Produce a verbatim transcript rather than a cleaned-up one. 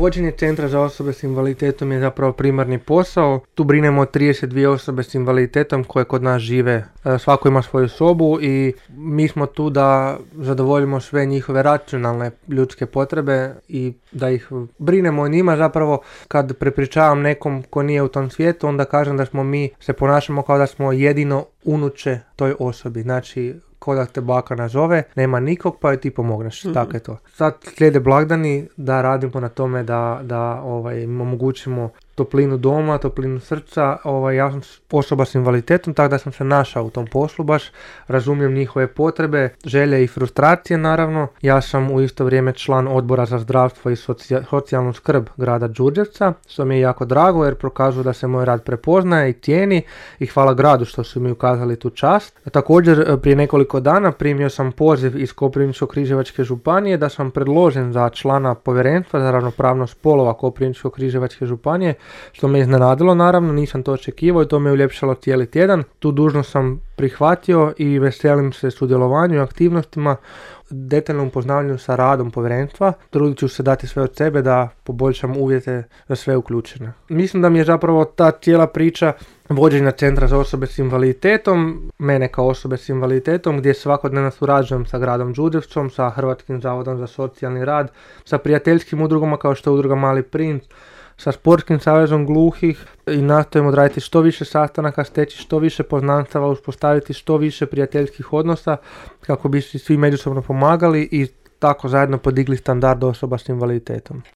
Vođenje centra za osobe s invaliditetom je zapravo primarni posao. Tu brinemo o trideset dvije osobe s invaliditetom koje kod nas žive. Svako ima svoju sobu i mi smo tu da zadovoljimo sve njihove racionalne ljudske potrebe i da ih brinemo o njima. Zapravo kad prepričavam nekom ko nije u tom svijetu, onda kažem da smo mi, se ponašamo kao da smo jedino unuče toj osobi. Znači, ko da te baka nazove, nema nikog pa joj ti pomogneš, mm-hmm. Tako je to. Sad slijede blagdani da radimo na tome da, da ovaj, im omogućimo toplinu doma, toplinu srca. Ovaj, ja sam osoba s invaliditetom, tako da sam se našao u tom poslu baš, razumijem njihove potrebe, želje i frustracije naravno. Ja sam u isto vrijeme član odbora za zdravstvo i socija, socijalnu skrb grada Đurđevca, što mi je jako drago jer prokazuje da se moj rad prepoznaje i cijeni i hvala gradu što su mi ukazali tu čast. Također prije nekoliko dana primio sam poziv iz Koprivničko-križevačke županije da sam predložen za člana povjerenstva za ravnopravnost spolova Koprivničko-križevačke županije, što me iznenadilo naravno, nisam to očekivao i to me uljepšalo cijeli tjedan. Tu dužnost sam prihvatio i veselim se sudjelovanju i aktivnostima, detaljnom upoznavanju sa radom povjerenstva. Trudit ću se dati sve od sebe da poboljšam uvjete za sve uključene. Mislim da mi je zapravo ta cijela priča vođenja centra za osobe s invaliditetom, mene kao osobe s invaliditetom, gdje svakodnevno surađujem sa gradom Đurđevcom, sa Hrvatskim zavodom za socijalni rad, sa prijateljskim udrugama kao što je udruga Mali princ, sa Sportskim savezom gluhih i nastojimo odraditi što više sastanaka, steći što više poznanstava, uspostaviti što više prijateljskih odnosa kako bi svi međusobno pomagali i tako zajedno podigli standard osoba s invaliditetom.